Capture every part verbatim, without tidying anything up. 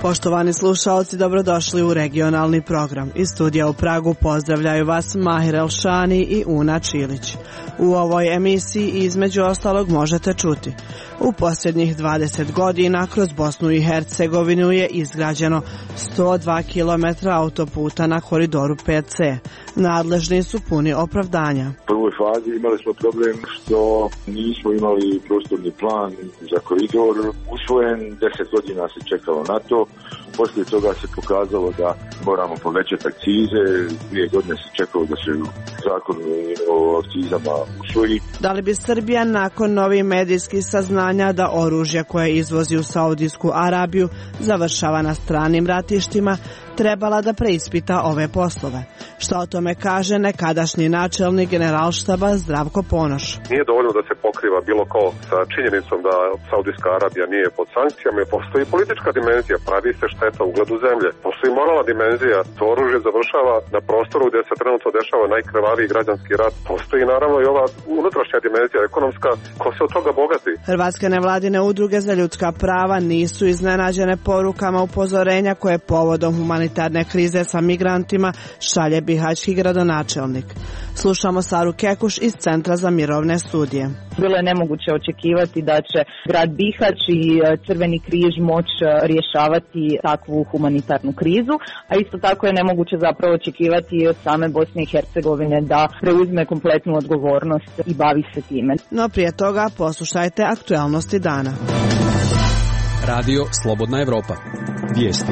Poštovani slušalci, dobrodošli u regionalni program. Iz studija u Pragu pozdravljaju vas Mahir Elšani i Una Čilić. U ovoj emisiji između ostalog možete čuti: u posljednjih dvadeset godina kroz Bosnu i Hercegovinu je izgrađeno sto dva kilometra autoputa na koridoru pet ce. Nadležni su puni opravdanja. U prvoj fazi imali smo problem što nismo imali prostorni plan za koridor usvojen, deset godina se čekalo na to. Poslije toga se pokazalo da moramo povećati akcize, dvije godine se čekalo da se zakon o akcizama usvoji. Da li bi Srbija nakon novih medijskih saznanja da oružje koje izvozi u Saudijsku Arabiju završava na stranim ratištima trebala da preispita ove poslove? Šta o tome kaže nekadašnji načelnik Generalštaba Zdravko Ponoš? Nije dovoljno da se pokriva bilo ko sa činjenicom da Saudijska Arabija nije pod sankcijama. Postoji politička dimenzija, pravi se šteta ugledu zemlje. Postoji moralna dimenzija, to oružje završava na prostoru gdje se trenutno dešava najkrvaviji građanski rat. Postoji naravno i ova unutrašnja dimenzija ekonomska, ko se od toga bogati. Hrvatske nevladine udruge za ljudska prava nisu iznenađene porukama upozorenja koje povodom humanitarne krize sa migrantima šalje bihaćki gradonačelnik. Slušamo Saru Kekuš iz Centra za mirovne studije. Bilo je nemoguće očekivati da će grad Bihać i Crveni križ moći rješavati takvu humanitarnu krizu, a isto tako je nemoguće zapravo očekivati od same Bosne i Hercegovine da preuzme kompletnu odgovornost i bavi se time. No prije toga poslušajte aktualnosti dana. Radio Slobodna Evropa. Vijesti.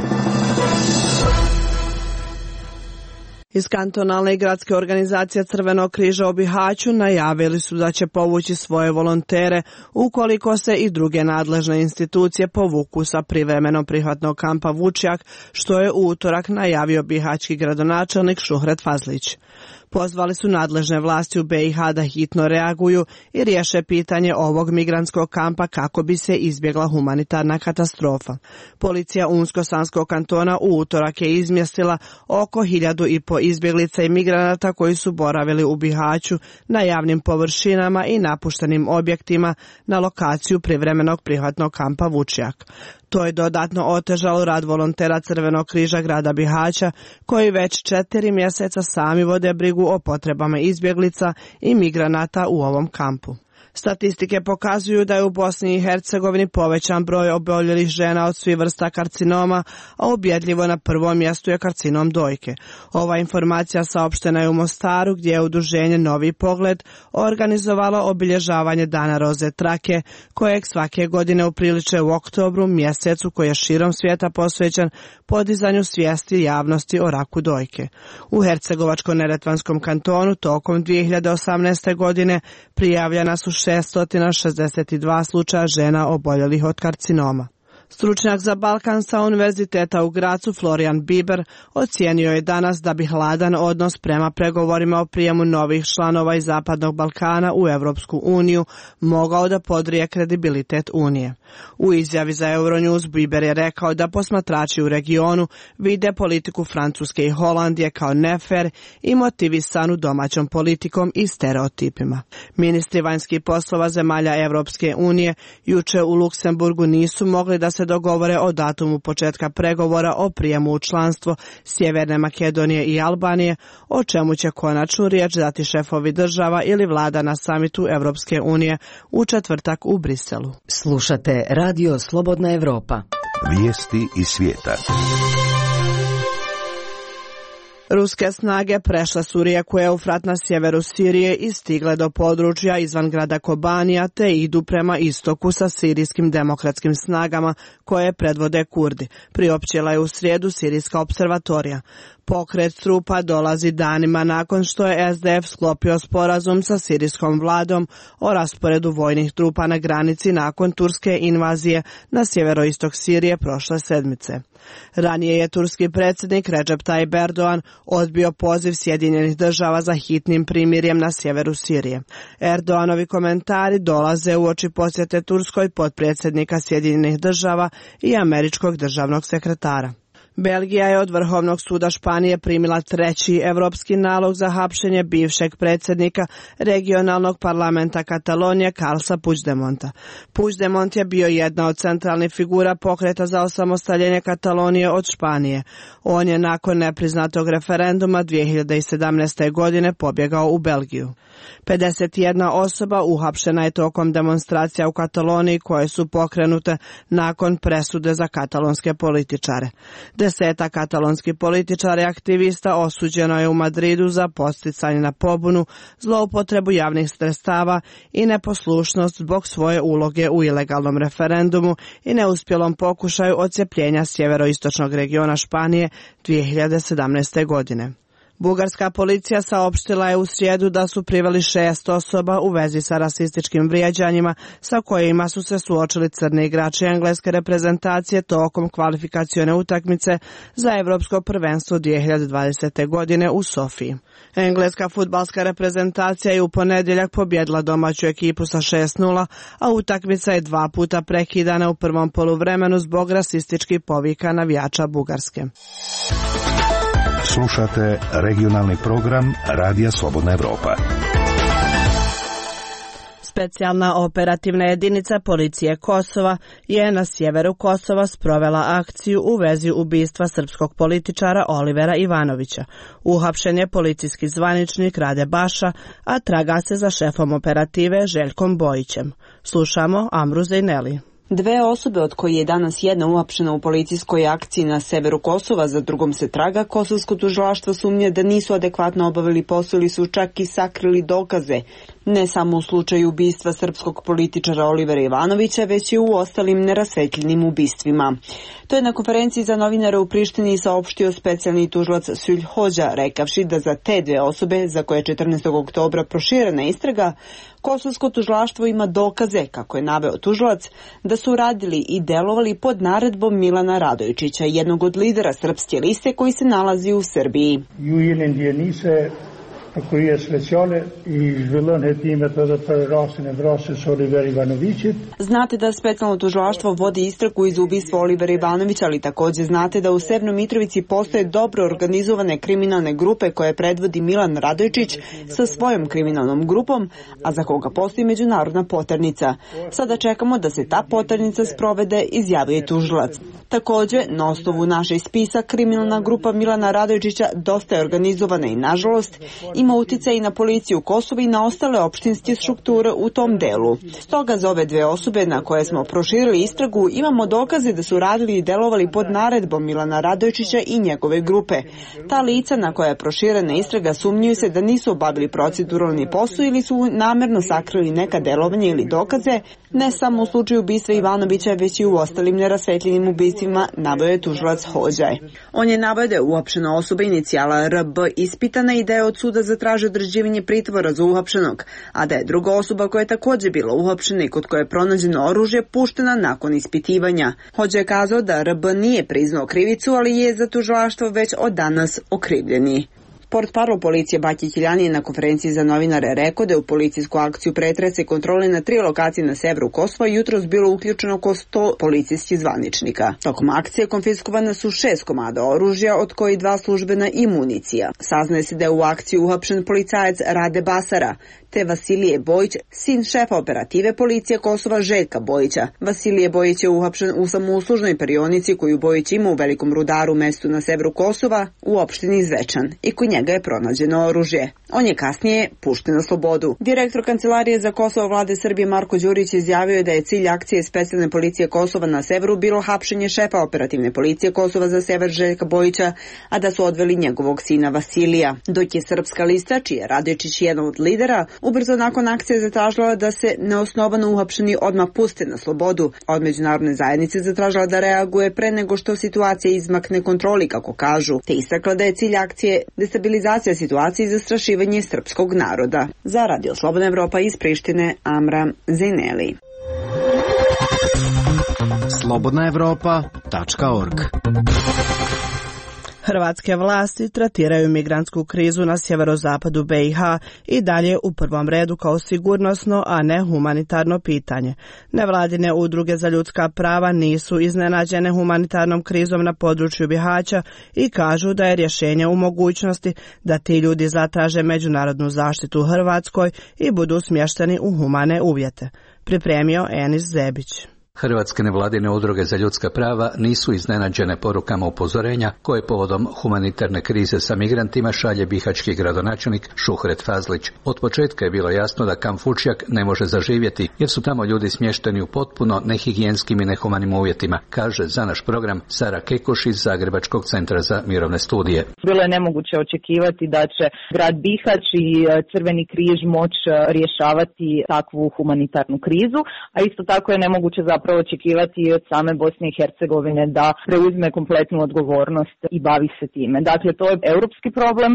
Iz kantonalne i gradske organizacije Crvenog križa u Bihaću najavili su da će povući svoje volontere ukoliko se i druge nadležne institucije povuku sa privremenog prihvatnog kampa Vučjak, što je u utorak najavio bihaćki gradonačelnik Šuhret Fazlić. Pozvali su nadležne vlasti u be i ha da hitno reaguju i riješe pitanje ovog migrantskog kampa kako bi se izbjegla humanitarna katastrofa. Policija Unsko-Sanskog kantona u utorak je izmjestila oko hiljadu i po izbjeglica i migranata koji su boravili u Bihaću na javnim površinama i napuštenim objektima na lokaciju privremenog prihvatnog kampa Vučjak. To je dodatno otežalo rad volontera Crvenog križa grada Bihaća, koji već četiri mjeseca sami vode brigu o potrebama izbjeglica i migranata u ovom kampu. Statistike pokazuju da je u Bosni i Hercegovini povećan broj oboljelih žena od svih vrsta karcinoma, a ubjedljivo na prvom mjestu je karcinom dojke. Ova informacija saopštena je u Mostaru, gdje je udruženje Novi pogled organizovalo obilježavanje Dana roze trake, kojeg svake godine upriliče u oktobru, mjesecu koji je širom svijeta posvećen podizanju svijesti javnosti o raku dojke. U Hercegovačko-neretvanskom kantonu tokom dvije hiljade osamnaeste. godine prijavljena su šesto šezdeset dva slučaja žena oboljelih od karcinoma. Stručnjak za Balkan sa Univerziteta u Gracu Florian Biber ocijenio je danas da bi hladan odnos prema pregovorima o prijemu novih članova iz Zapadnog Balkana u Europsku uniju mogao da podrije kredibilitet Unije. U izjavi za Euronews Biber je rekao da posmatrači u regionu vide politiku Francuske i Holandije kao nefer i motivisanu domaćom politikom i stereotipima. Ministri vanjskih poslova zemalja Europske unije juče u Luksemburgu nisu mogli da se dogovore o datumu početka pregovora o prijemu u članstvo Sjeverne Makedonije i Albanije, o čemu će konačnu riječ dati šefovi država ili vlada na samitu Europske unije u četvrtak u Briselu. Slušate Radio Slobodna Evropa. Vijesti iz svijeta. Ruske snage prešle su rijeku Eufrat na sjeveru Sirije i stigle do područja izvan grada Kobanija te idu prema istoku sa sirijskim demokratskim snagama koje predvode Kurdi, priopćila je u srijedu Sirijska observatorija. Pokret trupa dolazi danima nakon što je es de ef sklopio sporazum sa sirijskom vladom o rasporedu vojnih trupa na granici nakon turske invazije na sjeveroistok Sirije prošle sedmice. Ranije je turski predsjednik Recep Tayyip Erdogan odbio poziv Sjedinjenih država za hitnim primirjem na sjeveru Sirije. Erdoganovi komentari dolaze uoči posjete Turskoj potpredsjednika Sjedinjenih država i američkog državnog sekretara. Belgija je od Vrhovnog suda Španije primila treći evropski nalog za hapšenje bivšeg predsjednika regionalnog parlamenta Katalonije Carlesa Puigdemonta. Puigdemont je bio jedna od centralnih figura pokreta za osamostaljenje Katalonije od Španije. On je nakon nepriznatog referenduma dvije hiljade sedamnaeste. godine pobjegao u Belgiju. pedeset jedna osoba uhapšena je tokom demonstracija u Kataloniji koje su pokrenute nakon presude za katalonske političare. Deseta katalonskih političara i aktivista osuđeno je u Madridu za podsticanje na pobunu, zloupotrebu javnih sredstava i neposlušnost zbog svoje uloge u ilegalnom referendumu i neuspjelom pokušaju odcepljenja sjeveroistočnog regiona Španije dvije hiljade sedamnaeste. godine. Bugarska policija saopštila je u srijedu da su priveli šest osoba u vezi sa rasističkim vrijeđanjima sa kojima su se suočili crni igrači engleske reprezentacije tokom kvalifikacione utakmice za Europsko prvenstvo dvije hiljade dvadesete. godine u Sofiji. Engleska fudbalska reprezentacija je u ponedjeljak pobjedila domaću ekipu sa šest nula, a utakmica je dva puta prekidana u prvom poluvremenu zbog rasističkih povika navijača Bugarske. Slušate regionalni program Radija Slobodna Evropa. Specijalna operativna jedinica policije Kosova je na sjeveru Kosova sprovela akciju u vezi ubistva srpskog političara Olivera Ivanovića. Uhapšen je policijski zvaničnik Rade Baša, a traga se za šefom operative Željkom Bojićem. Slušamo Amru Zejneli. Dve osobe, od koje je danas jedna uhapšena u policijskoj akciji na severu Kosova, za drugom se traga, kosovsko tužilaštvo sumnje da nisu adekvatno obavili posao ili su čak i sakrili dokaze. Ne samo u slučaju ubistva srpskog političara Olivera Ivanovića, već i u ostalim nerasvetljenim ubistvima. To je na konferenciji za novinare u Prištini saopštio specijalni tužilac Sülj Hođa, rekavši da za te dve osobe, za koje je četrnaestog oktobra proširena istraga, kosovsko tužilaštvo ima dokaze, kako je naveo tužilac, da su radili i delovali pod naredbom Milana Radojičića, jednog od lidera srpske liste koji se nalazi u Srbiji. Koji je speciale i zhvillon hetimet edhe për rastin e vrasjes Oliver Ivanovićit. Znate da specijalno tužilaštvo vodi istragu iz ubistva Olivera Ivanovića, ali također znate da u Severnoj Mitrovici postoje dobro organizovane kriminalne grupe koje predvodi Milan Radojičić sa svojom kriminalnom grupom, a za koga postoji međunarodna poternica. Sada čekamo da se ta poternica sprovede, izjavio je tužilac. Također, na osnovu naših spisa, kriminalna grupa Milana Radojičića dosta je organizovana i, nažalost, ima utjecaj i na policiju Kosova i na ostale opštinske strukture u tom delu. Stoga za ove dve osobe na koje smo proširili istragu imamo dokaze da su radili i delovali pod naredbom Milana Radojičića i njegove grupe. Ta lica na koja je proširena istraga sumnjuju se da nisu obavili proceduralni posao ili su namerno sakrili neka delovanja ili dokaze, ne samo u slučaju ubistva Ivanovića, već i u ostalim nerasvetljenim ubistvima, naveo je tužilac Hođaj. On je naveo da je uhapšena osoba inicijala R B ispitana i da je od suda zatražio određivanje pritvora za uhapšenog, a da je druga osoba koja je također bila uhapšena i kod koje je pronađeno oružje puštena nakon ispitivanja. Hođa je kazao da R B nije priznao krivicu, ali je za tužilaštvo već od danas okrivljeni. Portparol policije Baki Kiljani je na konferenciji za novinare rekao da je u policijsku akciju pretresa i kontrole na tri lokacije na severu Kosova jutros bilo uključeno oko sto policijskih zvaničnika. Tokom akcije konfiskovana su šest komada oružja, od koji dva službena i municija. Saznaje se da je u akciji uhapšen policajac Rade Basara, te Vasilije Bojić, sin šefa operative policije Kosova Željka Bojića. Vasilije Bojić je uhapšen u samouslužnoj perionici koju Bojić ima u Velikom Rudaru, mestu na severu Kosova, u opštini Zvečan, i kod njega je pronađeno oružje. On je kasnije pušten na slobodu. Direktor Kancelarije za Kosovo vlade Srbije Marko Đurić izjavio je da je cilj akcije specijalne policije Kosova na severu bilo hapšenje šefa operativne policije Kosova za sever Željka Bojića, a da su odveli njegovog sina Vasilija. Dok je srpska lista, čiji je Radojičić jedan od lidera, ubrzo nakon akcije zatražila da se neosnovano uhapšeni odmah puste na slobodu, a od međunarodne zajednice zatražila da reaguje pre nego što situacija izmakne kontroli, kako kažu, te istakla da je cilj akcije destabilizacija situacije i zastrašivanje srpskog naroda. Za Radio Slobodna Evropa iz Prištine, Amra Zejneli. slobodna evropa tačka org Hrvatske vlasti tretiraju migrantsku krizu na sjeverozapadu B i H i dalje u prvom redu kao sigurnosno, a ne humanitarno pitanje. Nevladine udruge za ljudska prava nisu iznenađene humanitarnom krizom na području Bihaća i kažu da je rješenje u mogućnosti da ti ljudi zatraže međunarodnu zaštitu u Hrvatskoj i budu smješteni u humane uvjete. Pripremio Enis Zebić. Hrvatske nevladine udruge za ljudska prava nisu iznenađene porukama upozorenja koje povodom humanitarne krize sa migrantima šalje bihaćki gradonačelnik Šuhret Fazlić. Od početka je bilo jasno da kamp Vučjak ne može zaživjeti jer su tamo ljudi smješteni u potpuno nehigijenskim i nehumanim uvjetima, kaže za naš program Sara Kekuš iz Zagrebačkog centra za mirovne studije. Bilo je nemoguće očekivati da će grad Bihać i Crveni križ moć rješavati takvu humanitarnu krizu, a isto tako je nemoguće zapravo očekivati od same Bosne i Hercegovine da preuzme kompletnu odgovornost i bavi se time. Dakle, to je europski problem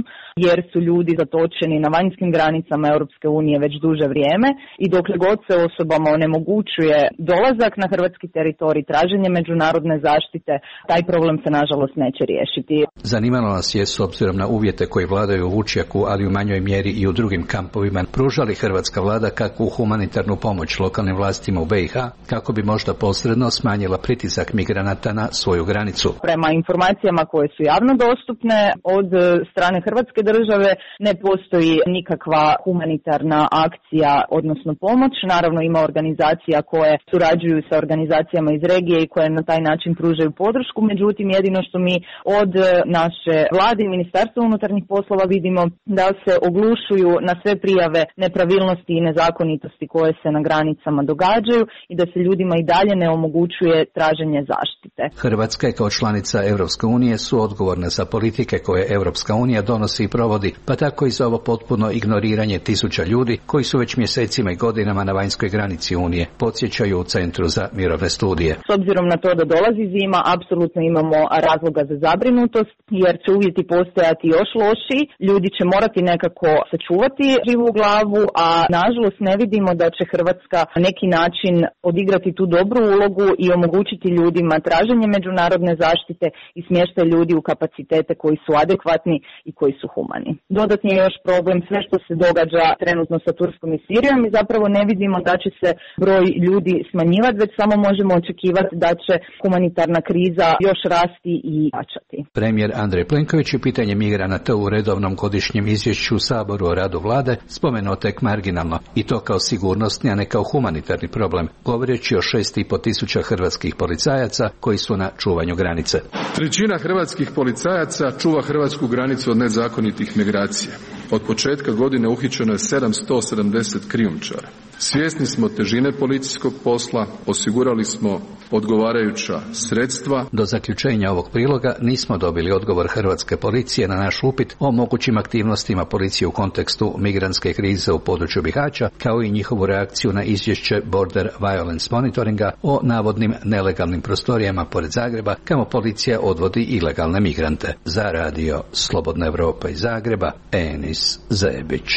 jer su ljudi zatočeni na vanjskim granicama Europske unije već duže vrijeme i dokle god se osobama onemogućuje dolazak na hrvatski teritorij, traženje međunarodne zaštite, taj problem se nažalost neće riješiti. Zanimalo nas je, s obzirom na uvjete koji vladaju u Vučjaku, ali u manjoj mjeri i u drugim kampovima, pružali hrvatska vlada kakvu humanitarnu pomoć lokalnim vlastima u B i H kako bi možda posredno smanjila pritisak migranata na svoju granicu. Prema informacijama koje su javno dostupne od strane Hrvatske države ne postoji nikakva humanitarna akcija, odnosno pomoć. Naravno ima organizacija koje surađuju sa organizacijama iz regije i koje na taj način pružaju podršku, međutim jedino što mi od naše vlade i Ministarstva unutarnjih poslova vidimo da se oglušuju na sve prijave nepravilnosti i nezakonitosti koje se na granicama događaju i da se ljudima i dalje ne omogućuje traženje zaštite. Hrvatska kao članica Europske unije su odgovorne za politike koje Europska unija donosi i provodi, pa tako i za ovo potpuno ignoriranje tisuća ljudi koji su već mjesecima i godinama na vanjskoj granici Unije, podsjećaju u Centru za mirovne studije. S obzirom na to da dolazi zima, apsolutno imamo razloga za zabrinutost, jer će uvjeti postojati još lošiji, ljudi će morati nekako sačuvati živu glavu, a nažalost ne vidimo da će Hrvatska na neki način odigrati tu dobru ulogu i omogućiti ljudima traženje međunarodne zaštite i smještaj ljudi u kapacitete koji su adekvatni i koji su humani. Dodatni je još problem sve što se događa trenutno sa Turskom i Sirijom i zapravo ne vidimo da će se broj ljudi smanjivati, već samo možemo očekivati da će humanitarna kriza još rasti i jačati. Premijer Andrej Plenković je pitanje migranata u redovnom godišnjem izvješću u Saboru o radu vlade spomenuo tek marginalno i to kao sigurnosni, a ne kao humanitarni problem, govoreći o šest i po tisuća hrvatskih policajaca koji su na čuvanju granice. Trećina hrvatskih policajaca čuva hrvatsku granicu od nezakonitih migracija. Od početka godine uhićeno je sedamsto sedamdeset krijumčara. Svjesni smo težine policijskog posla, osigurali smo odgovarajuća sredstva. Do zaključenja ovog priloga nismo dobili odgovor hrvatske policije na naš upit o mogućim aktivnostima policije u kontekstu migrantske krize u području Bihaća, kao i njihovu reakciju na izvješće Border Violence Monitoringa o navodnim nelegalnim prostorijama pored Zagreba, kamo policija odvodi ilegalne migrante. Za radio Slobodna Evropa iz Zagreba, Enis Zebić.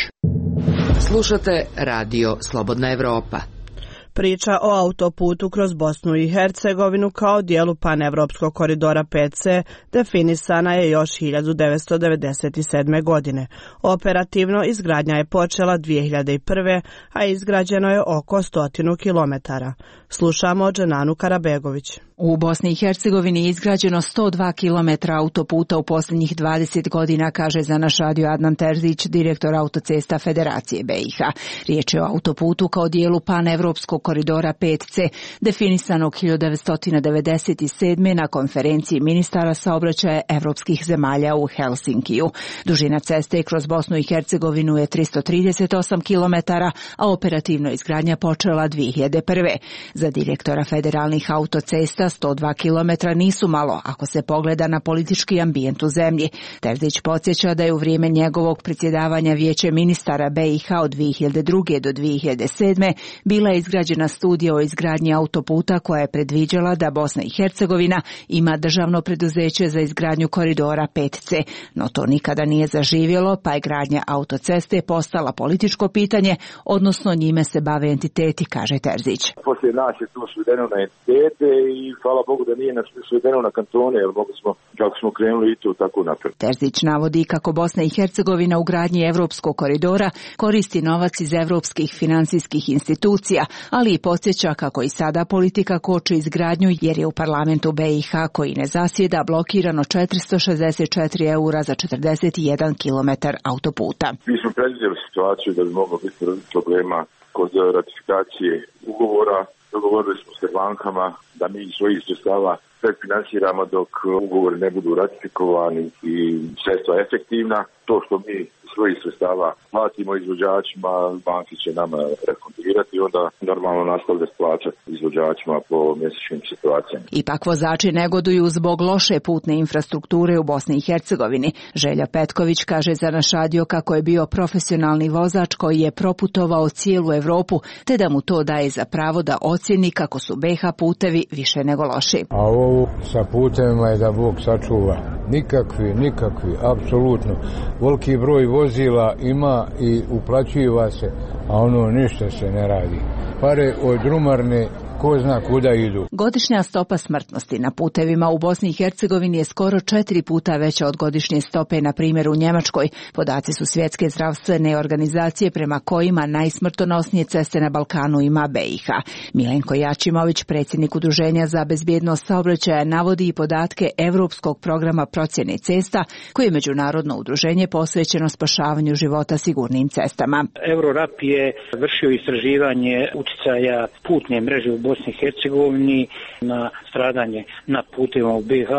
Slušate radio Slobodna Evropa. Priča o autoputu kroz Bosnu i Hercegovinu kao dijelu panevropskog koridora pet ce definisana je još hiljadu devetsto devedeset sedme. godine. Operativno izgradnja je počela dvije hiljade prve. a izgrađeno je oko stotinu kilometara. Slušamo Dženanu Karabegović. U Bosni i Hercegovini je izgrađeno sto dva kilometra autoputa u posljednjih dvadeset godina, kaže za naš radio Adnan Terzić, direktor autocesta Federacije B i H. Riječ je o autoputu kao dijelu panevropskog koridora pet ce, definisanog hiljadu devetsto devedeset sedme. na konferenciji ministara saobraćaja evropskih zemalja u Helsinkiju. Dužina ceste kroz Bosnu i Hercegovinu je tristo trideset osam kilometara, a operativno izgradnja počela dvije hiljade prve. Za direktora federalnih autocesta sto dva kilometra nisu malo ako se pogleda na politički ambijent u zemlji. Terzić podsjeća da je u vrijeme njegovog predsjedavanja Vijeće ministara B i H od dvije hiljade druge. do dvije hiljade sedme. bila izgrađena studija o izgradnji autoputa koja je predviđala da Bosna i Hercegovina ima državno preduzeće za izgradnju koridora pet ce, no to nikada nije zaživjelo, pa je gradnja autoceste postala političko pitanje, odnosno njime se bave entiteti, kaže Terzić. Poslije nas je to svedeno na entitete i hvala Bogu da nije nas svedeno na kantone, jer mogli smo, kako smo krenuli i to tako napred. Terzić navodi kako Bosna i Hercegovina u gradnji Evropskog koridora koristi novac iz evropskih finansijskih institucija, ali i podsjeća kako i sada politika koči izgradnju jer je u parlamentu B i H koji ne zasjeda blokirano četiristo šezdeset četiri eura za četrdeset jedan kilometar autoputa. Mi smo predvidjeli situaciju da bi moglo biti problema kod ratifikacije ugovora. Dogovorili smo se bankama da mi iz svojih sredstava predfinansiramo dok ugovori ne budu ratifikovani i sredstva efektivna. To što mi svojih sredstava platimo izvođačima, banki će nama refundirati i onda normalno nastavljati plaćati izvođačima po mjesečnim situacijama. Ipak vozači negoduju zbog loše putne infrastrukture u Bosni i Hercegovini. Želja Petković kaže za naš radio kako je bio profesionalni vozač koji je proputovao cijelu Evropu, te da mu to daje za pravo da ocjeni kako su B iH putevi više nego loši. A ovo sa putevima je da Bog sačuva. Nikakvi, nikakvi, apsolutno. Veliki broj vozila ima i uplaćiva se, a ono ništa se ne radi. Pare od drumarne ko zna kuda idu. Godišnja stopa smrtnosti na putevima u Bosni i Hercegovini je skoro četiri puta veća od godišnje stope, na primjer u Njemačkoj. Podaci su Svjetske zdravstvene organizacije prema kojima najsmrtonosnije ceste na Balkanu ima B iH. Milenko Jačimović, predsjednik Udruženja za bezbjednost saobraćaja, navodi i podatke Europskog programa procjene cesta, koje je međunarodno udruženje posvećeno spašavanju života sigurnim cestama. Eurorap je vršio istraživanje utjecaja putne mreže u Bosni i Hercegovini na stradanje na putevima u B iH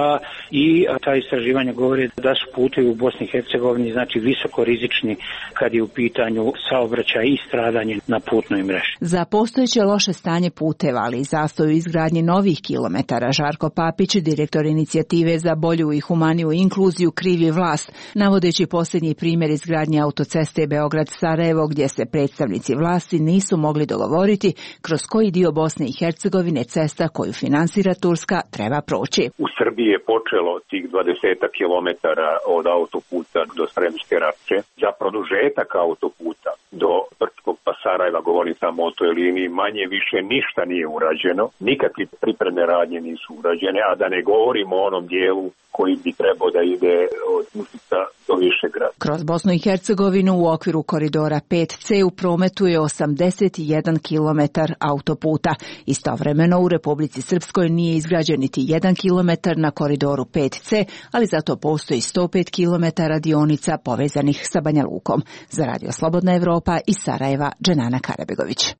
i ta istraživanja govore da su putevi u Bosni i Hercegovini znači visoko rizični kad je u pitanju saobraćaj i stradanje na putnoj mreži. Za postojeće loše stanje puteva, ali i zastoj u izgradnji novih kilometara, Žarko Papić, direktor inicijative za bolju i humaniju inkluziju, krivi vlast, navodeći posljednji primjer izgradnje autoceste Beograd-Sarajevo, gdje se predstavnici vlasti nisu mogli dogovoriti kroz koji dio Bosne i Hercegovine cesta koju finansira Turska treba proći. U Srbiji je počelo tih dvadeset kilometara od autoputa do Sremske Rače. Za produžetak autoputa do Brčkog pa Sarajeva, govorim samo o toj liniji, manje više ništa nije urađeno. Nikakve pripremne radnje nisu urađene, a da ne govorimo o onom dijelu koji bi trebao da ide od Užica do Višegrada. Kroz Bosnu i Hercegovinu u okviru koridora pet C u prometu je osamdeset jedan kilometar autoputa. Istovremeno u Republici Srpskoj nije izgrađen niti jedan kilometar na koridoru pet C, ali zato postoji sto pet kilometara dionica povezanih sa Banja Lukom. Za Radio Slobodna Evropa iz Sarajeva, Dženana Karabegović.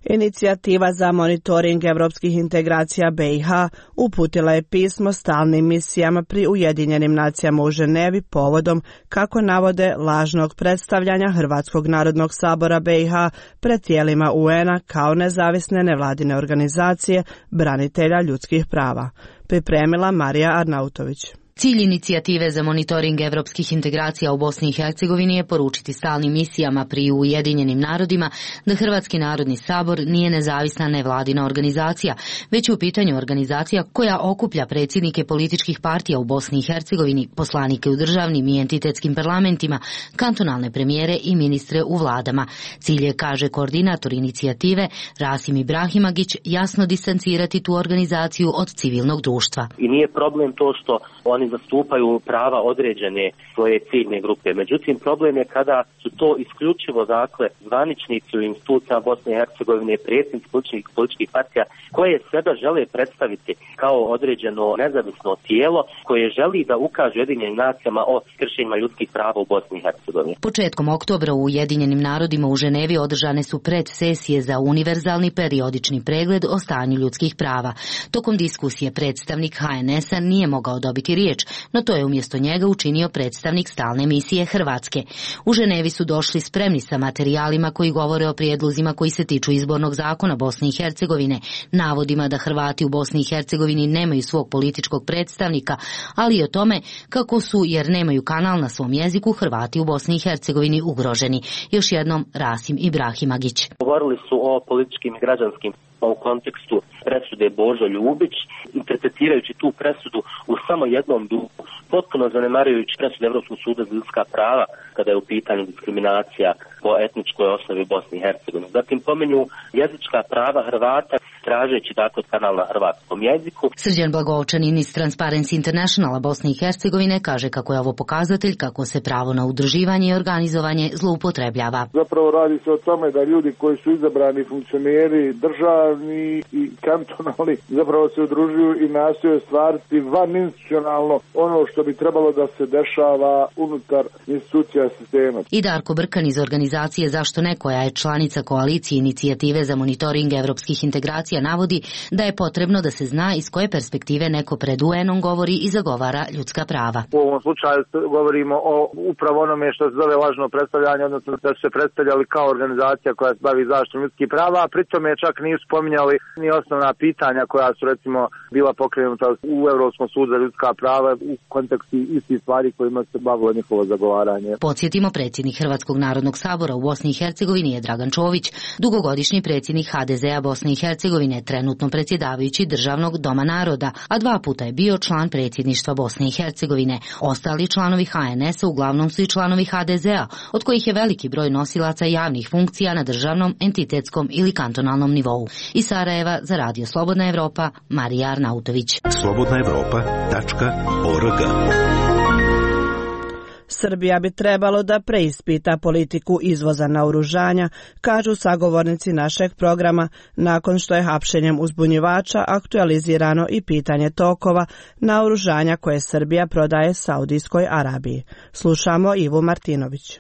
Inicijativa za monitoring evropskih integracija B iH uputila je pismo stalnim misijama pri Ujedinjenim nacijama u Ženevi povodom, kako navode, lažnog predstavljanja Hrvatskog narodnog sabora B iH pred tijelima U N-a kao nezavisne nevladine organizacije branitelja ljudskih prava. Pripremila Marija Arnautović. Cilj inicijative za monitoring evropskih integracija u Bosni i Hercegovini je poručiti stalnim misijama pri Ujedinjenim narodima da Hrvatski narodni sabor nije nezavisna nevladina organizacija, već je u pitanju organizacija koja okuplja predsjednike političkih partija u Bosni i Hercegovini, poslanike u državnim i entitetskim parlamentima, kantonalne premijere i ministre u vladama. Cilj je, kaže koordinator inicijative Rasim Ibrahimagić, jasno distancirati tu organizaciju od civilnog društva. I nije problem to što oni zastupaju prava određene svoje ciljne grupe. Međutim, problem je kada su to isključivo, dakle, zvaničnici u institucijama Bosne i Hercegovine, predsjednici političkih, političkih partija, koje sebe žele predstaviti kao određeno nezavisno tijelo koje želi da ukaže Ujedinjenim nacijama o kršenjima ljudskih prava u Bosni i Hercegovini. Početkom oktobra u Ujedinjenim narodima u Ženevi održane su predsesije za univerzalni periodični pregled o stanju ljudskih prava. Tokom diskusije predstavnik H N S-a nije mogao dobiti riječ, no to je umjesto njega učinio predstavnik stalne misije Hrvatske. U Ženevi su došli spremni sa materijalima koji govore o prijedlozima koji se tiču izbornog zakona Bosne i Hercegovine, navodima da Hrvati u Bosni i Hercegovini nemaju svog političkog predstavnika, ali i o tome kako su, jer nemaju kanal na svom jeziku, Hrvati u Bosni i Hercegovini ugroženi. Još jednom Rasim Ibrahimagić. Govorili su o političkim i građanskim u kontekstu presude Božo Ljubić, interpretirajući tu presudu u samo jednom duhu, potpuno zanemarujući presudu Evropskog suda za ljudska prava kada je u pitanju diskriminacija po etničkoj osnovi Bosne i Hercegovine. Zatim pomenju jezička prava Hrvata, tražeći dakle kanal na hrvatskom jeziku. Srđan Blagovčanin iz Transparency Internationala Bosne i Hercegovine kaže kako je ovo pokazatelj kako se pravo na udruživanje i organizovanje zloupotrebljava. Zapravo radi se o tome da ljudi koji su izabrani funkcioneri državni i kantonalni zapravo se udružuju i nastoje stvariti vaninstitucionalno ono što bi trebalo da se dešava unutar institucija sistema. I Darko Brkan iz organizacije Zašto ne, koja je članica koalicije inicijative za monitoring evropskih integracija, navodi da je potrebno da se zna iz koje perspektive neko pred U N-om govori i zagovara ljudska prava. U ovom slučaju govorimo o upravo onome što se zove lažno predstavljanje, odnosno da su se predstavljali kao organizacija koja se bavi zaštitom ljudskih prava, a pritome čak nisu spominjali ni osnovna pitanja koja su recimo bila pokrenuta u Europskom sudu za ljudska prava u kontekstu istih stvari kojima se bavilo njihovo zagovaranje. Podsjetimo, predsjednik Hrvatskog narodnog sabora u Bosni i Hercegovini je Dragan Čović, dugogodišnji predsjednik H D Z-a Bosne i Hercegovine, trenutno predsjedavajući Državnog doma naroda, a dva puta je bio član predsjedništva Bosne i Hercegovine. Ostali članovi H N S-a uglavnom su i članovi H D Z-a, od kojih je veliki broj nosilaca javnih funkcija na državnom, entitetskom ili kantonalnom nivou. Iz Sarajeva za Radio Slobodna Evropa, Marija Arnautović. slobodna evropa tačka org. Srbija bi trebalo da preispita politiku izvoza naoružanja, kažu sagovornici našeg programa, nakon što je hapšenjem uzbunjivača aktualizirano i pitanje tokova naoružanja koje Srbija prodaje Saudijskoj Arabiji. Slušamo Ivu Martinović.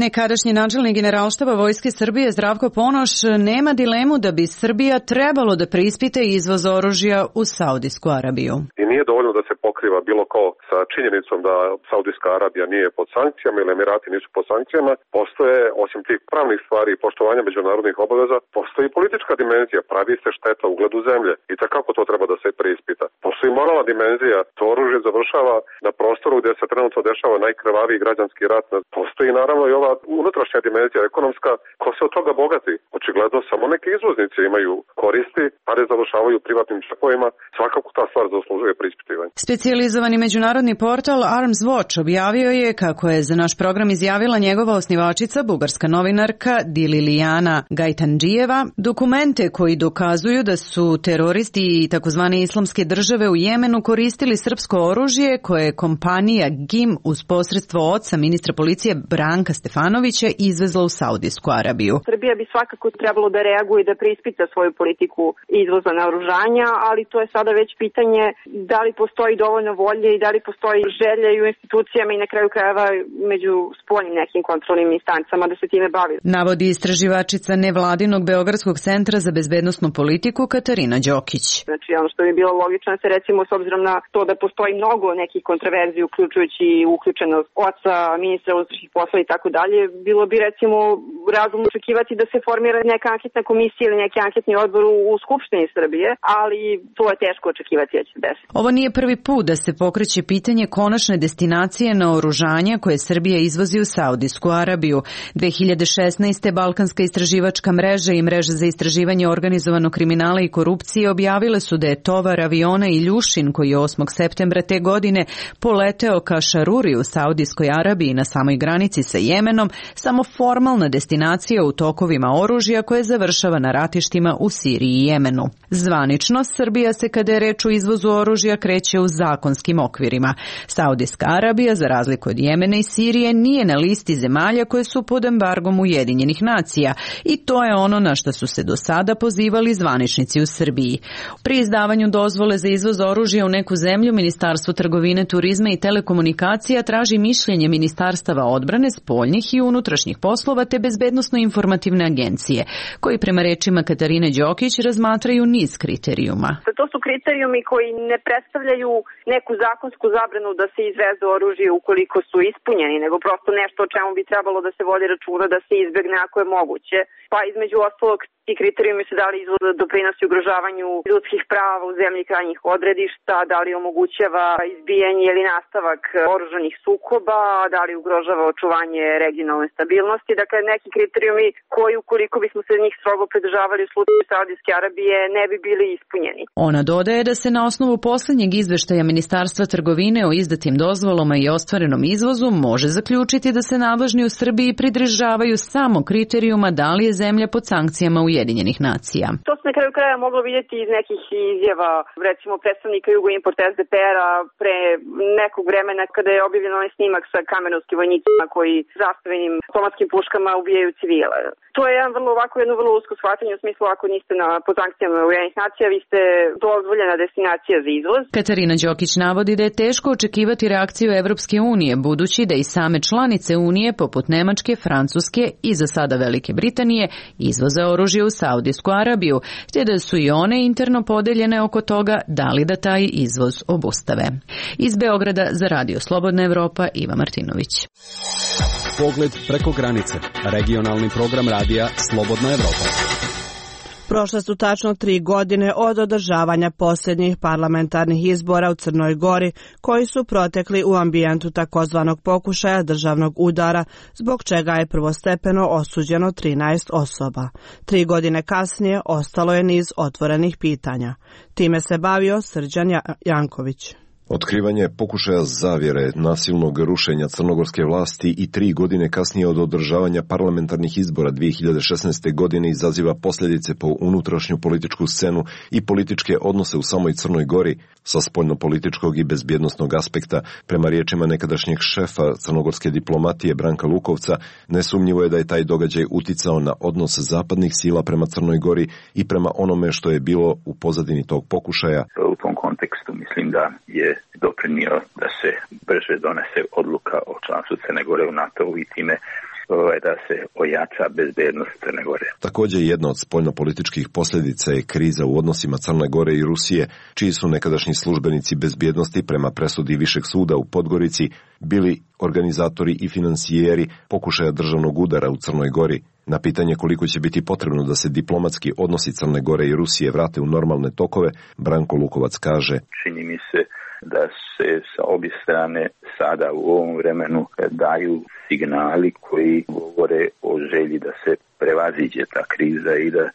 Nekadašnji načelnik Generalštaba Vojske Srbije Zdravko Ponoš nema dilemu da bi Srbija trebalo da preispita izvoz oružja u Saudijsku Arabiju. I nije dovoljno da se pokriva bilo ko sa činjenicom da Saudijska Arabija nije pod sankcijama ili Emirati nisu pod sankcijama. Postoje, osim tih pravnih stvari i poštovanja međunarodnih obaveza, postoji politička dimenzija, pravi se šteta ugledu zemlje i takako to treba da se preispita. Postoji moralna dimenzija, to oružje završava na prostoru gdje se trenutno dešava najkrvaviji građanski rat. Postoji naravno i ova unutrašnja dimenzija ekonomska, ko se od toga bogati. Očigledno samo neki izvoznici imaju koristi, pare završavaju u privatnim džepovima. Svakako ta stvar zaslužuje preispitivanje. Specijalizovani međunarodni portal Arms Watch objavio je kako je za naš program izjavila njegova osnivačica, bugarska novinarka Dililijana Gajtandžijeva, dokumente koji dokazuju da su teroristi i takozvane islamske države u Jemenu koristili srpsko oružje koje je kompanija G I M uz posredstvo oca ministra policije Branka Stefanovića izvezla u Saudijsku Arabiju. Srbija bi svakako trebalo da reaguje i da preispita svoju politiku izvoza naoružanja, ali to je sada već pitanje da li postoji dovoljno volje i da li postoji želja i u institucijama i na kraju krajeva među spoljnim nekim kontrolnim instancama da se time bavi. Navodi istraživačica nevladinog Beogradskog centra za bezbednosnu politiku Katarina Đokić. Znači ono što bi bilo logično se recimo s obzirom na to da postoji mnogo nekih kontroverzija uključujući uključenost oca, ministra unutrašnjih poslova i tako dalje, bilo bi recimo razumno očekivati da se formira neka anketna komisija ili neki anketni odbor u Skupštini Srbije, ali to je teško očekivati da će se desiti. Ovo nije prvi put da se pokreće pitanje konačne destinacije naoružanja koje Srbija izvozi u Saudijsku Arabiju. dve hiljade šesnaeste. Balkanska istraživačka mreža i mreža za istraživanje organizovanog kriminala i korupcije objavile su da je tovar aviona Iljušin koji je osmog septembra te godine poleteo ka Šaruri u Saudijskoj Arabiji na samoj granici sa Jemenom samo formalna destinacija u tokovima oružja koje završava na ratištima u Siriji i Jemenu. Zvanično, Srbija se kada je reč o izvozu oružja kreće u zakonskim okvirima. Saudijska Arabija, za razliku od Jemena i Sirije, nije na listi zemalja koje su pod embargom Ujedinjenih nacija i to je ono na što su se do sada pozivali zvaničnici u Srbiji. Pri izdavanju dozvole za izvoz oružja u neku zemlju, Ministarstvo trgovine, turizma i telekomunikacija traži mišljenje Ministarstava odbrane, spoljnih i unutrašnjih poslova te bezbednosno-informativne agencije, koji prema rečima Katarine Đokić razmatraju niz kriterijuma. To su kriterijumi koji ne predstavljaju neku zakonsku zabranu da se izveze oružje ukoliko su ispunjeni, nego prosto nešto o čemu bi trebalo da se vodi računa da se izbegne ako je moguće. Pa između ostalog ti kriterijumi se da li izvoz doprinosi ugrožavanju ljudskih prava u zemlji krajnjih odredišta, da li omogućava izbijanje ili nastavak oružanih sukoba, da li ugrožava očuvanje regionalne stabilnosti. Dakle, neki kriterijumi koji, ukoliko bismo se njih strogo pridržavali u slučaju Saudijske Arabije, ne bi bili ispunjeni. Ona dodaje da se na osnovu posljednjeg izveštaja Ministarstva trgovine o izdatim dozvolama i ostvarenom izvozu može zaključiti da se nadležni u Srbiji pridržavaju samo kriterijuma da li je zemlja pod sankcijama Ujedinjenih nacija. To se na kraju kraja moglo vidjeti iz nekih izjava, recimo predstavnika Jugoimport es de pe er-a pre nekog vremena kada je objavljen onaj snimak sa kamenovskim vojnicima koji zastavenim automatskim puškama ubijaju civile. To je jedan vrlo ovako jedno vrlo usko shvatanje u smislu ako niste na pod sankcijama Ujedinjenih nacija, vi ste dozvoljena destinacija za izvoz. Katarina Đokić navodi da je teško očekivati reakciju Evropske unije, budući da i same članice unije poput Nemačke, Francuske i za sada Velike Britanije izvoze oružje u Saudijsku Arabiju, te da su i one interno podeljene oko toga da li da taj izvoz obustave. Iz Beograda za Radio Slobodna Evropa, Iva Martinović. Pogled preko granice. Regionalni program radija Slobodna Evropa. Prošle su tačno tri godine od održavanja posljednjih parlamentarnih izbora u Crnoj Gori, koji su protekli u ambijentu takozvanog pokušaja državnog udara, zbog čega je prvostepeno osuđeno trinaest osoba. Tri godine kasnije ostalo je niz otvorenih pitanja. Time se bavio Srđan Janković. Otkrivanje pokušaja zavjere, nasilnog rušenja crnogorske vlasti i tri godine kasnije od održavanja parlamentarnih izbora dvije hiljade šesnaeste. godine izaziva posljedice po unutrašnju političku scenu i političke odnose u samoj Crnoj Gori. Sa spoljnopolitičkog i bezbjednosnog aspekta, prema riječima nekadašnjeg šefa crnogorske diplomatije Branka Lukovca, nesumnjivo je da je taj događaj uticao na odnos zapadnih sila prema Crnoj Gori i prema onome što je bilo u pozadini tog pokušaja. U tom kontekstu mislim da je doprinio da se brže donese odluka o članstvu Crne Gore u NATO-u i time da se ojača bezbednost Crne Gore. Također jedna od spoljnopolitičkih posljedica je kriza u odnosima Crne Gore i Rusije, čiji su nekadašnji službenici bezbjednosti prema presudi Višeg suda u Podgorici bili organizatori i financijeri pokušaja državnog udara u Crnoj Gori. Na pitanje koliko će biti potrebno da se diplomatski odnosi Crne Gore i Rusije vrate u normalne tokove, Branko Lukovac kaže: Čini mi se da se sa obje strane sada u ovom vremenu daju signali koji govore o želji da se prevaziđe ta kriza i da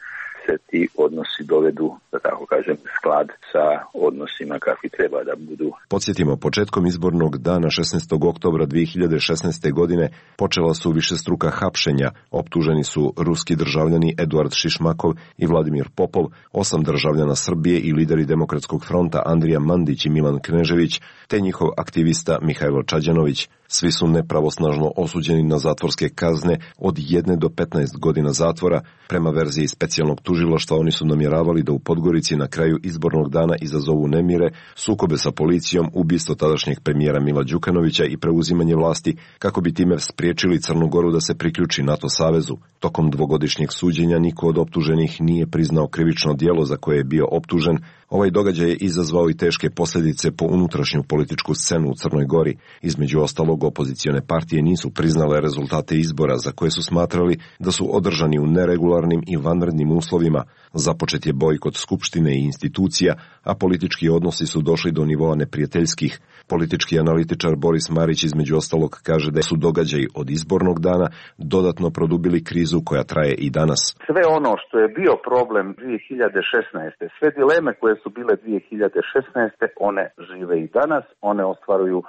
se ti odnosi dovedu, da tako kažem, sklad sa odnosima kakvi treba da budu. Podsjetimo, početkom izbornog dana šesnaestog oktobra dvije hiljade šesnaeste. godine počela su višestruka hapšenja. Optuženi su ruski državljani Eduard Šišmakov i Vladimir Popov, osam državljana Srbije i lideri Demokratskog fronta Andrija Mandić i Milan Knežević, te njihov aktivista Mihajlo Čađanović. Svi su nepravosnažno osuđeni na zatvorske kazne od jedne do petnaest godina zatvora. Prema verziji specijalnog tužilaštva oni su namjeravali da u Podgorici na kraju izbornog dana izazovu nemire, sukobe sa policijom, ubistvo tadašnjeg premijera Mila Đukanovića i preuzimanje vlasti, kako bi time spriječili Crnu Goru da se priključi NATO savezu. Tokom dvogodišnjeg suđenja niko od optuženih nije priznao krivično djelo za koje je bio optužen. Ovaj događaj je izazvao i teške posljedice po unutrašnju političku scenu u Crnoj Gori. Između ostalog, opozicione partije nisu priznale rezultate izbora za koje su smatrali da su održani u neregularnim i vanrednim uslovima. Započet je bojkot skupštine i institucija, a politički odnosi su došli do nivoa neprijateljskih. Politički analitičar Boris Marić između ostalog kaže da su događaji od izbornog dana dodatno produbili krizu koja traje i danas. Sve ono što je bio problem dvije hiljade šesnaeste. sve dileme koje su bile dvije hiljade šesnaeste. one žive i danas, one ostvaruju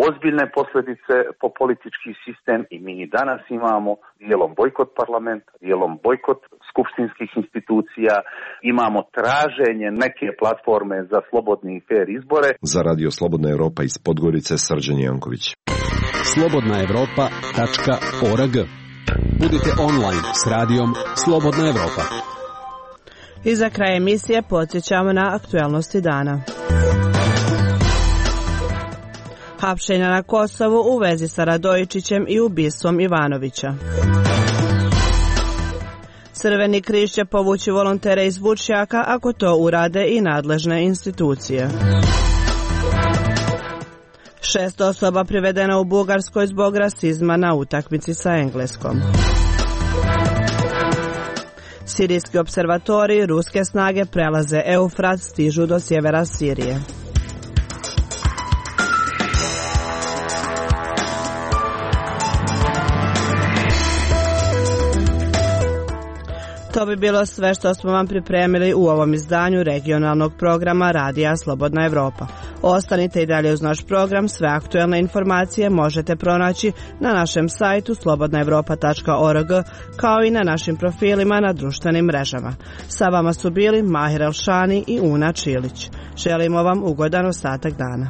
ozbiljne posljedice po politički sistem i mi i danas imamo dijelom bojkot parlamenta, dijelom bojkot skupštinskih institucija, imamo traženje neke platforme za slobodni i fair izbore. Za Radio Slobodna Evropa iz Podgorice, Srđan Janković. slobodna evropa tačka org. Budite online s radijom Slobodna Evropa. I za kraj emisije podsjećamo na aktuelnosti dana. Hapšenja na Kosovu u vezi sa Radojičićem i ubistvom Ivanovića. Crveni križ će povući volontere iz Vučjaka ako to urade i nadležne institucije. Šest osoba privedeno u Bugarskoj zbog rasizma na utakmici sa Engleskom. Sirijski observatori, ruske snage prelaze Eufrat, stižu do sjevera Sirije. To bi bilo sve što smo vam pripremili u ovom izdanju regionalnog programa Radija Slobodna Evropa. Ostanite i dalje uz naš program, sve aktuelne informacije možete pronaći na našem sajtu slobodna evropa tačka org kao i na našim profilima na društvenim mrežama. Sa vama su bili Mahir Elšani i Una Čilić. Želimo vam ugodan ostatak dana.